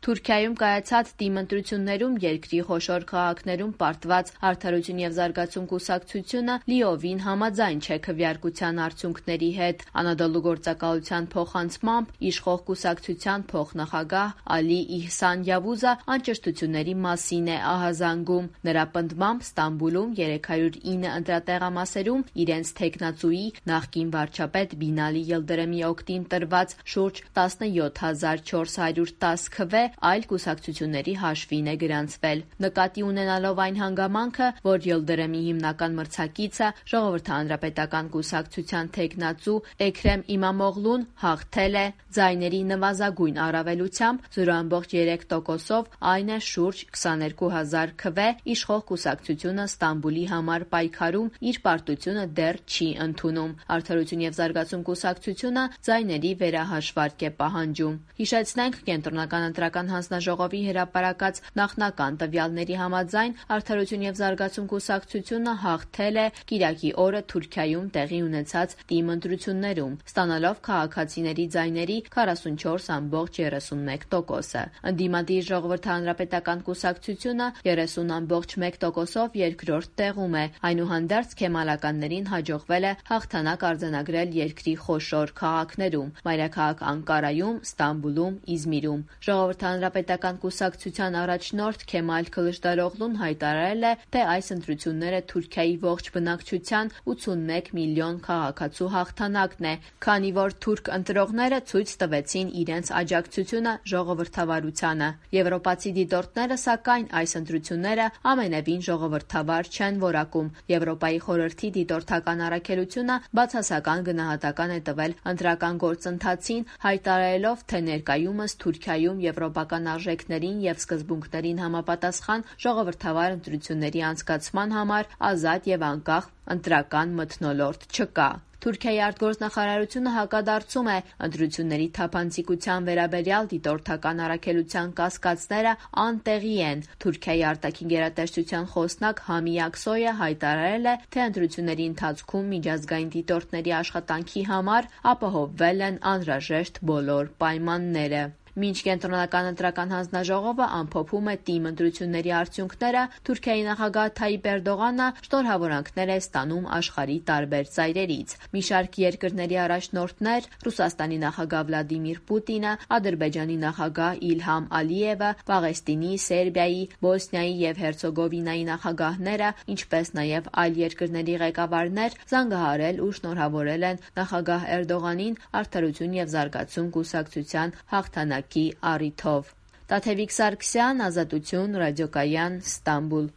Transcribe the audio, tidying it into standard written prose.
Թուրքիայում կայացած դիմընտրություններում երկրի խոշոր քաղաքներում պարտված Արդարություն և զարգացում կուսակցությունը լիովին համաձայն չէ քվեարկության արդյունքների հետ։ Անադոլու գործակալության փոխանցմամբ իշխող կուսակցության փոխնախագահ Ալի Իհսան Յավուզը անճշտությունների մասին է ահազանգում։ Նրա պնդմամբ Ստամբուլում 309 ընտրատեղամասերում իրենց թեկնածուի նախկին վարչապետ Բինալի Յիլդրեմի օգտին տրված շուրջ 17410 քվե այլ կուսակցությունների հաշվին է գրանցվել։ Նկատի ունենալով այն հանգամանքը, որ Յիլդրեմի հիմնական մրցակիցը Ժողովրդահանրապետական կուսակցության թեկնածու Էքրեմ Իմամօղլուն հաղթել է ձայների նվազագույն առավելությամբ 0.3%-ով, այն է շուրջ 22000 քվե, իշխող կուսակցությունը Ստամբուլի համար պայքարում իր պարտությունը դեռ չի ընդունում։ Արդարություն և զարգացում կուսակցությունը ձայների վերահաշվարկ է պահանջում։ Հիշեցնենք, Կենտրոնական ընտրական հանձնաժողովի հրապարակած նախնական տվյալների համաձայն Արդարություն և զարգացում կուսակցությունը հաղթել է կիրակի օրը Թուրքիայում տեղի ունեցած դիմընտրություններում, ստանալով քաղաքացիների ձայների 44.31%-ը։ Ընդդիմադիր Ժողովրդահանրապետական կուսակցությունը 30.1%-ով երկրորդ տեղում է։ Այնուհանդերձ քեմալականներին հաջողվել է հաղթանակ արձանագրել երկրի խոշոր քաղաքներում՝ մայրաքաղաք Անկարայում, Ստամբուլում, Իզմիրում։ Ժողովրդահանրապետական կուսակցության առաջնորդ Քեմալ Քլիշդարօղլուն հայտարարել է, թե այս ընտրությունները Թուրքիայի ողջ բնակչության 81 միլիոն քաղաքացու հաղթանակն է, քանի որ թուրք ընտրողները ցույց տվեցին իրենց աջակցությունը ժողովրդավարությանը։ Եվրոպացի դիտորդները, սակայն, այս ընտրությունները ամենևին ժողովրդավար չեն որակում։ Եվրոպայի խորհրդի դիտորդական առաքելությունը բացասական գնահատական է տվել ընտրական գործընթացին, հայտարարելով, թե ներկայումս Թուրքիայում եվրոպական արժեքներին և սկզբունքներին համապատասխան ժողովրդավար ընտրությունների անցկացման համար ազատ և անկախ ընտրական մթնոլորտ չկա։ Թուրքիայի արտգործնախարարությունը հակադարձում է ընտրությունների թափանցիկության վերաբերյալ դիտորդական առաքելության կասկածները անտեղի են։ Թուրքիայի արտաքին գերատեսչության խոսնակ Համի Ակսոյը հայտարարել է, թե ընտրությունների ընթացքում միջազգային դիտորդների աշխատանքի համար ապահովվել են անհրաժեշտ բոլոր պայմանները։ Մինչ Կենտրոնական ընտրական հանձնաժողովը ամփոփում է դիմընտրությունների արդյունքները, Թուրքիայի նախագահ Թայիպ Էրդողանը շնորհավորանքներ է ստանում աշխարհի տարբեր ծայրերից։ Մի շարք երկրների առաջնորդներ՝ Ռուսաստանի նախագահ Վլադիմիր Պուտինը, Ադրբեջանի նախագահ Իլհամ Ալիևը, Պաղեստինի, Սերբիայի, Բոսնիայի և Հերցեգովինայի նախագահները, ինչպես նաև այլ երկրների ղեկավարներ զանգահարել ու շնորհավորել են նախագահ Էրդողանին Արդարություն և զարգացում կուսակցության հաղթանակի առիթով։ Տաթևիկ Սարգսյան, Ազատություն, Ռադիոկայան, Ստամբուլ։